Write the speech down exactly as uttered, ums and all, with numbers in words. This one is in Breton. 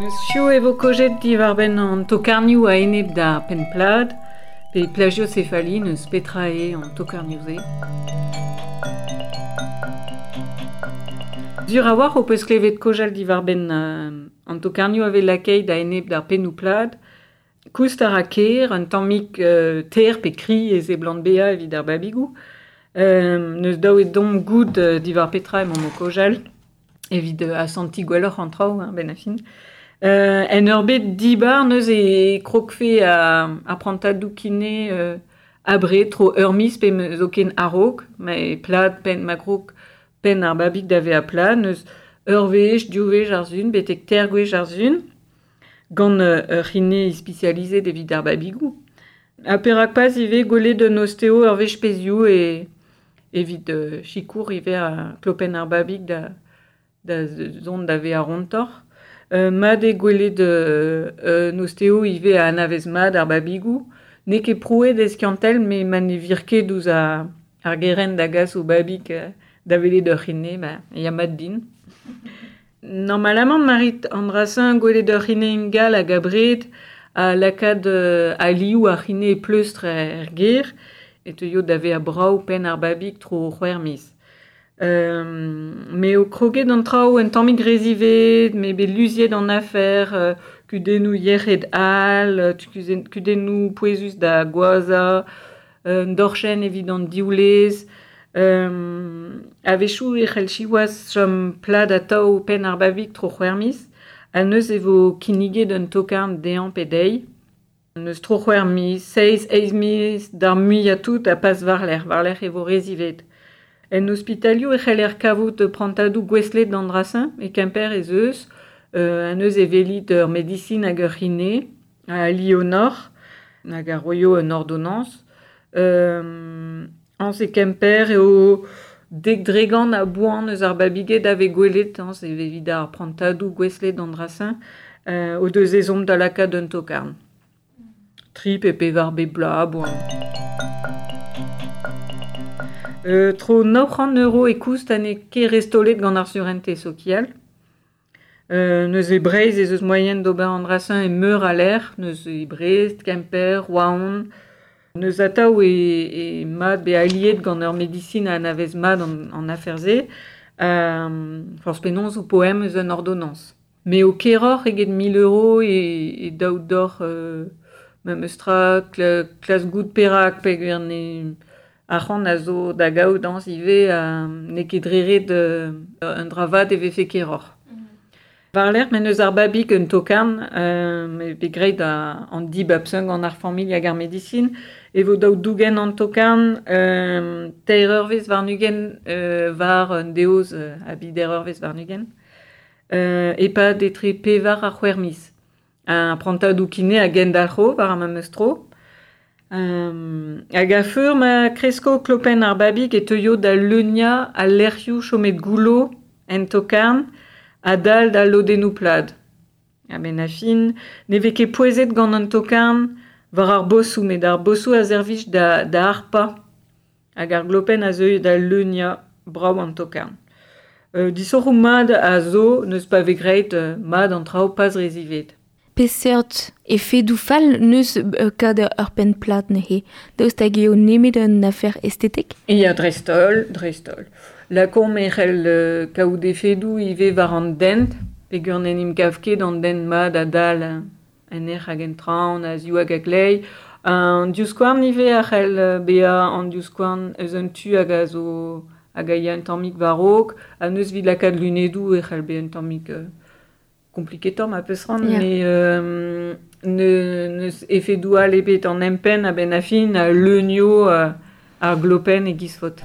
Neus chio e vo kojet diwar-benn an tokarnioù a-enep da penn-plad, pe plagiocéphalie neus petra eo an tokarnioù-se. Zur a-walc'h ho peus klevet kojal diwar-benn euh, an tokarnioù a vez lakaet a-enep d'ar pennoù plad. Koust a ra ker, un tammig euh, ter pe kri e seblant bezañ evit ar babigoù. Euh, neus daou e dom gout euh, diwar petra emañ o kojal evit euh, asantiñ gwelloc'h an traoù, hein, ben a fin. Euh, en ur bet dibar neus e krogfe a, a prantadoù kine euh, abre tro ur miz pe zoken a-raok, ma e plad penn ma krog penn ar babig da vezañ plad, neus ur wech, div wech ar sun, betek ter gwech ar sun, gant euh, ur c'hine ispisializet evit ar babigoù. Ha perak pas ivez gwelet un osteo ur wech pezhioù e evit euh, sikour ivez a klopenn ar babig da, da zont da vezañ rontoc'h. Euh, mat eo gwelet euh, un osteo ivez a anavez mat ar babigoù. N'eo ket prouet eskiantel, met ma ne vir ket ouzh ar, ar gerent da gas o babig euh, da welet ur c'hine, ba, ya mat din. Normalamant marit an dra-se gwelet ur c'hine ingal hag abred a lakaat euh, a liou ar c'hine pleustr er ger e teuio da vezañ brav penn ar babig tro c'hwec'h miz. Euh, me o kroget an traoù un tammig rezivet, me bet luziet an afer, euh, kudennoù yec'hed all, kudennoù pouezus da gwaza, euh, un dorchenn evit an diwlez, euh, a-wechoù e c'hell siwazh chom plad atav penn ar babig tro c'hwec'h miz, ha neuze e vo kinniget un tokarn dezhañ pe dezhi. Neus tro c'hwec'h miz, seizh, eizh miz, d'ar muiañ tout ha pas war-lerc'h, war-lerc'h e vo rezivet. En ospitalioù e c'heller kavout prantadoù gouestlet d'an dra-se, e Kemper ez eus, euh, an eus e velit ur medisin hag ur c'hine, a Lionor, hag a roio un ordonnance. Euh, Añs e Kemper eo dek dregant a boan eus ar babiged a vez gwelet, añs e evit ar prantadoù gouestlet d'an dra-se, euh, o deus ezhomm da lakaat un tokarn. Tri pe pevar bep bloaz a boan. Euh, tro nav c'hant euro e koust ha n'eo ket restolet gant ar surentez sokial. Euh, neus e Breizh ez eus moaien d'ober an dra-se e meur a lec'h, neus e Brest, Kemper, Roazhon. Neus atav e, e mat be aliet gant ur medisin a anavez mat an, an afer-se. Euh, forzh penaos o poem eus un ordonnance. Me o keroc'h eget mil euro e, e daou doc'h euh, memes tra kla, klas gout perak peogwir ne ar c'hant a zo da gaout dañs ivez euh, n'eo ket dre ret euh, un dra vat e vefe keroc'h. War-lerc'h men eus ar babig un tokarn, euh, me bet graet a, an dibab-se gant ar familh hag ar medisin, e vo daou dougen an tokarn, euh, teir eurvezh warn-ugent euh, war un deoz euh, a bider eurvezh warn-ugent, euh, e-pad etre pevar ha c'hwec'h miz. Un prantadoù kine a gendalc'ho war ar memes tro. Euh, hag a feur ma kresko klopenn ar babig e teuio da leuniañ al lec'hioù chomet goullo en tokarn a-dal da lodennoù plad. A-benn ar fin, ne vez ket pouezet gant an tokarn war ar bosoù, met ar bosoù a servij da, da harpañ hag ar glopenn a zeu da leuniañ brav an tokarn. Euh, disoc'hoù mat a zo neus pa vez graet euh, mat an traoù pas rezivet. Peseurt efedoù fall neus euh, kad ur penn plat neuze. Daoust hag eo nemet un afer estetek? Ya, dreist-holl, dreist-holl. Lakaomp e c'hell euh, kaout efedoù ivez war an dent, peogwir n'en em gav ket an dent mat a-dal en ec'h hag en traoñ, a ziv hag a glei. An divskouarn ivez a c'hell bezañ an divskouarn eus un tu hag a zo hag a ya un tammig war-raok, ha neus evit lakaat lunedoù e c'hell bezañ un tammig euh, kompliketoc'h ma peus c'hoant, Yeah. mais euh, ne, neus efedoù all ebet an empenn a-benn ar fin a leunio euh, ar glopenn e giz faot.